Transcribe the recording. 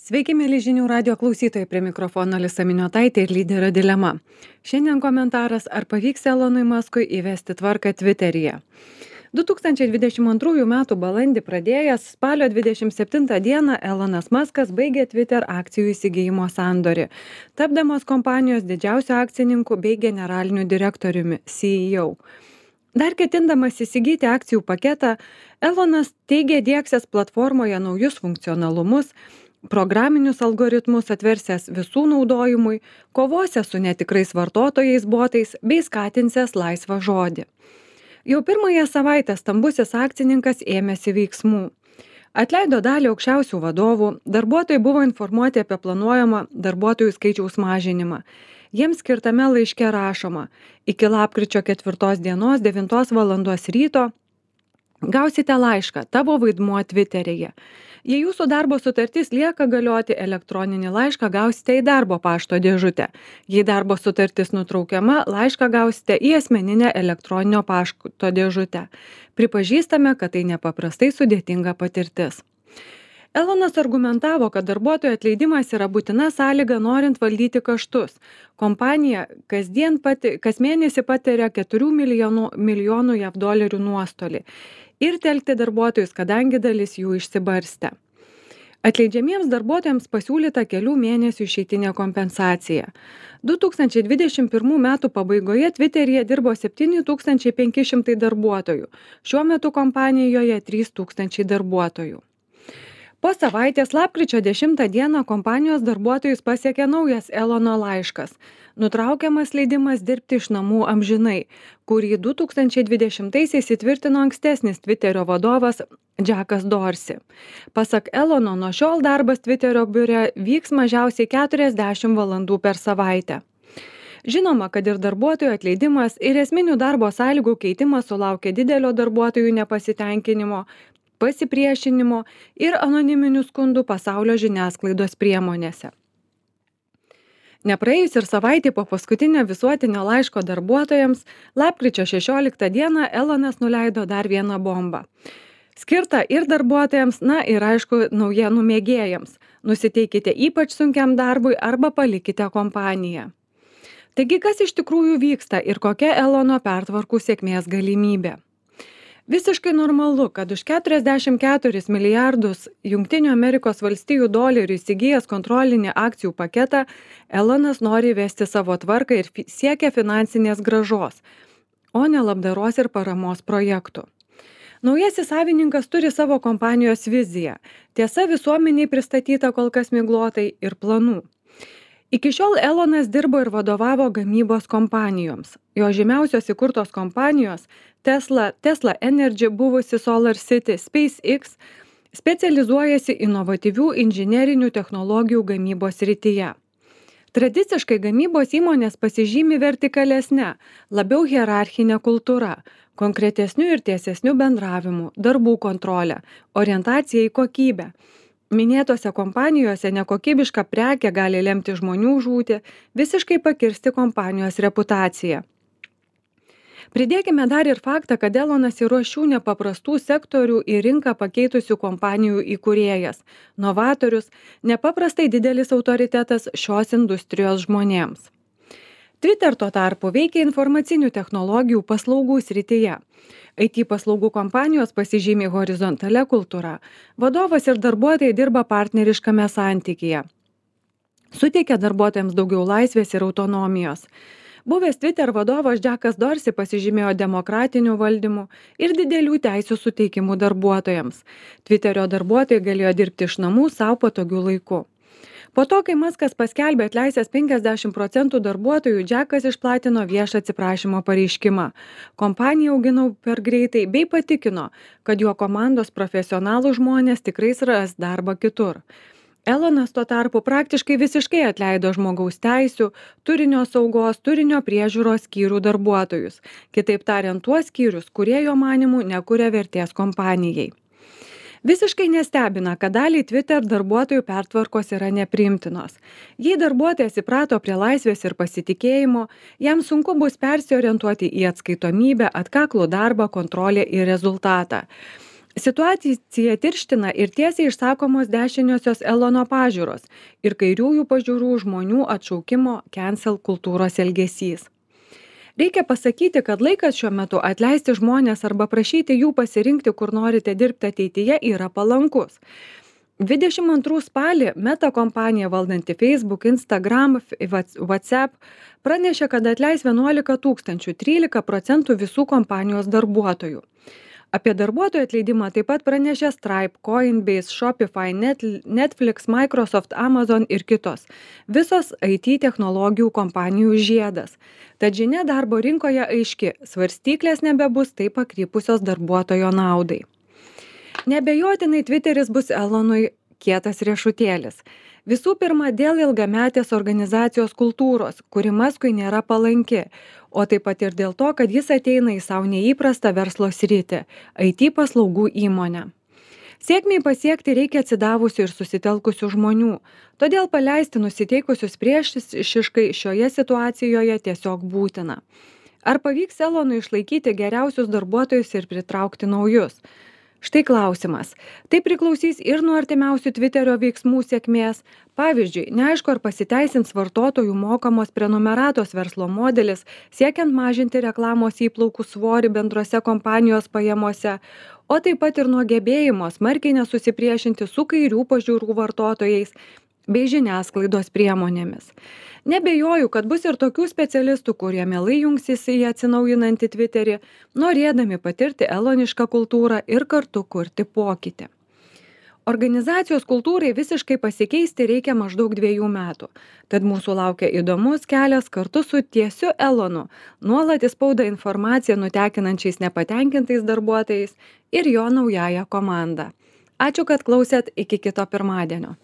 Sveiki, mėly žinių radio klausytojai, prie mikrofono Alisa Miniotaitė ir lyderio dilema. Šiandien komentaras, ar pavyks Elonui Muskui įvesti tvarką Twitteryje. 2022 m. balandį pradėjęs, spalio 27 d. Elonas Muskas baigė Twitter akcijų įsigijimo sandorį, tapdamas kompanijos didžiausiu akcininku bei generaliniu direktoriumi CEO. Dar ketindamas įsigyti akcijų paketą, Elonas teigė diegsiąs platformoje naujus funkcionalumus, programinius algoritmus atversiąs visų naudojimui, kovosiąs su netikrais vartotojais botais bei skatinsęs laisvą žodį. Jau pirmąją savaitę stambusis akcininkas ėmėsi veiksmų. Atleido dalį aukščiausių vadovų, darbuotojai buvo informuoti apie planuojamą darbuotojų skaičiaus mažinimą. Jiems skirtame laiške rašoma, iki lapkričio 4 dienos 9 valandos ryto gausite laišką, tavo vaidmuo Twitteryje. Jei jūsų darbo sutartis lieka galioti, elektroninį laišką gausite į darbo pašto dėžutę. Jei darbo sutartis nutraukiama, laišką gausite į asmeninę elektroninio pašto dėžutę. Pripažįstame, kad tai nepaprastai sudėtinga patirtis. Elonas argumentavo, kad darbuotojų atleidimas yra būtina sąlyga norint valdyti kaštus. Kompanija kas mėnesį patiria 4 milijonų JAV dolerių nuostolį ir telkti darbuotojus, kadangi dalis jų išsibarstė. Atleidžiamiems darbuotojams pasiūlyta kelių mėnesių išeitinė kompensacija. 2021 m. pabaigoje Twitteryje dirbo 7500 darbuotojų, šiuo metu kompanijoje 3000 darbuotojų. Po savaitės lapkričio 10 d. kompanijos darbuotojus pasiekė naujas Elono laiškas, nutraukiamas leidimas dirbti iš namų amžinai, kurį 2020-aisiais įtvirtino ankstesnis Twitterio vadovas Jackas Dorsey. Pasak Elono, nuo šiol darbas Twitterio biure vyks mažiausiai 40 valandų per savaitę. Žinoma, kad ir darbuotojų atleidimas ir esminių darbo sąlygų keitimas sulaukė didelio darbuotojų nepasitenkinimo, pasipriešinimo ir anoniminių skundų pasaulio žiniasklaidos priemonėse. Nepraėjus ir savaitė po paskutinio visuotinio laiško darbuotojams, lapkričio 16 d. Elonas nuleido dar vieną bombą. Skirta ir darbuotojams, ir aišku, naujienų mėgėjams. Nusiteikite ypač sunkiam darbui arba palikite kompaniją. Taigi, kas iš tikrųjų vyksta ir kokia Elono pertvarkų sėkmės galimybė? Visiškai normalu, kad už 44 milijardus Jungtinių Amerikos valstijų dolerių įsigijęs kontrolinį akcijų paketą, Elonas nori įvesti savo tvarką ir siekia finansinės grąžos, o ne labdaros ir paramos projektų. Naujasis savininkas turi savo kompanijos viziją. Tiesa, visuomeniai pristatyta kol kas miglotai ir planų. Iki šiol Elonas dirbo ir vadovavo gamybos kompanijoms. Jo žymiausios įkurtos kompanijos Tesla Energy, buvusi Solar City, SpaceX specializuojasi inovatyvių inžinerinių technologijų gamybos srityje. Tradiciškai gamybos įmonės pasižymi vertikalesne, labiau hierarchinė kultūra, konkretesniu ir tiesesniu bendravimu, darbų kontrolė, orientacija į kokybę. Minėtose kompanijose nekokybiška prekė gali lemti žmonių žūtį, visiškai pakirsti kompanijos reputaciją. Pridėkime dar ir faktą, kad Elonas yra šių nepaprastų sektorių į rinką pakeitusių kompanijų įkūrėjas, novatorius, nepaprastai didelis autoritetas šios industrijos žmonėms. Twitter tuo tarpu veikia informacinių technologijų paslaugų srityje. IT paslaugų kompanijos pasižymi horizontalia kultūra. Vadovas ir darbuotojai dirba partneriškame santykyje. Suteikia darbuotojams daugiau laisvės ir autonomijos. Buvęs Twitter vadovas Jackas Dorsey pasižymėjo demokratiniu valdymu ir didelių teisių suteikimu darbuotojams. Twitterio darbuotojai galėjo dirbti iš namų savo patogiu laiku. Po to, kai Muskas paskelbė atleisęs 50% darbuotojų, Jackas išplatino viešą atsiprašymo pareiškimą. Kompanija auginau per greitai bei patikino, kad jo komandos profesionalų žmonės tikrai ras darbą kitur. Elonas tuo tarpu praktiškai visiškai atleido žmogaus teisių, turinio saugos, turinio priežiūros skyrių darbuotojus. Kitaip tariant, tuos skyrius, kurie jo manymu nekuria vertės kompanijai. Visiškai nestebina, kad daliai Twitter darbuotojų pertvarkos yra nepriimtinos. Jei darbuotojas įprato prie laisvės ir pasitikėjimo, jam sunku bus persiorientuoti į atskaitomybę, atkaklų darbą, kontrolę ir rezultatą. Situaciją tirština ir tiesiai išsakomos dešiniosios Elono pažiūros ir kairiųjų pažiūrų žmonių atšaukimo cancel kultūros elgesys. Reikia pasakyti, kad laikas šiuo metu atleisti žmonės arba prašyti jų pasirinkti, kur norite dirbti ateityje, yra palankus. 22 spalį Meta kompanija valdanti Facebook, Instagram, WhatsApp pranešė, kad atleis 11 tūkstančių, 13% visų kompanijos darbuotojų. Apie darbuotojų atleidimą taip pat pranešė Stripe, Coinbase, Shopify, Netflix, Microsoft, Amazon ir kitos. Visos IT technologijų kompanijų žiedas. Tad žinia darbo rinkoje aiški, svarstyklės nebebus taip pakrypusios darbuotojo naudai. Neabejotinai Twitteris bus Elonui kietas riešutėlis. Visų pirma, dėl ilgametės organizacijos kultūros, kuri Maskui nėra palanki, o taip pat ir dėl to, kad jis ateina į savo neįprastą verslo sritį – IT paslaugų įmonę. Sėkmiai pasiekti reikia atsidavusių ir susitelkusių žmonių, todėl paleisti nusiteikusius priešiškai šioje situacijoje tiesiog būtina. Ar pavyks Elonui išlaikyti geriausius darbuotojus ir pritraukti naujus? Štai klausimas. Tai priklausys ir nuo artimiausių Twitterio veiksmų sėkmės. Pavyzdžiui, neaišku, ar pasiteisins vartotojų mokamos prenumeratos verslo modelis, siekiant mažinti reklamos įplaukų svorį bendrose kompanijos pajamose, o taip pat ir nuo gebėjimo smarkiai nesusipriešinti su kairių pažiūrų vartotojais bei žiniasklaidos priemonėmis. Nebejoju, kad bus ir tokių specialistų, kurie mielai jungsis į atsinaujinantį Twitterį, norėdami patirti elonišką kultūrą ir kartu kurti pokytį. Organizacijos kultūrai visiškai pasikeisti reikia maždaug 2 metų. Tad mūsų laukia įdomus kelias kartu su tiesiu Elonu, nuolat į spaudą informaciją nutekinančiais nepatenkintais darbuotojais ir jo naująja komanda. Ačiū, kad klausėt, iki kito pirmadienio.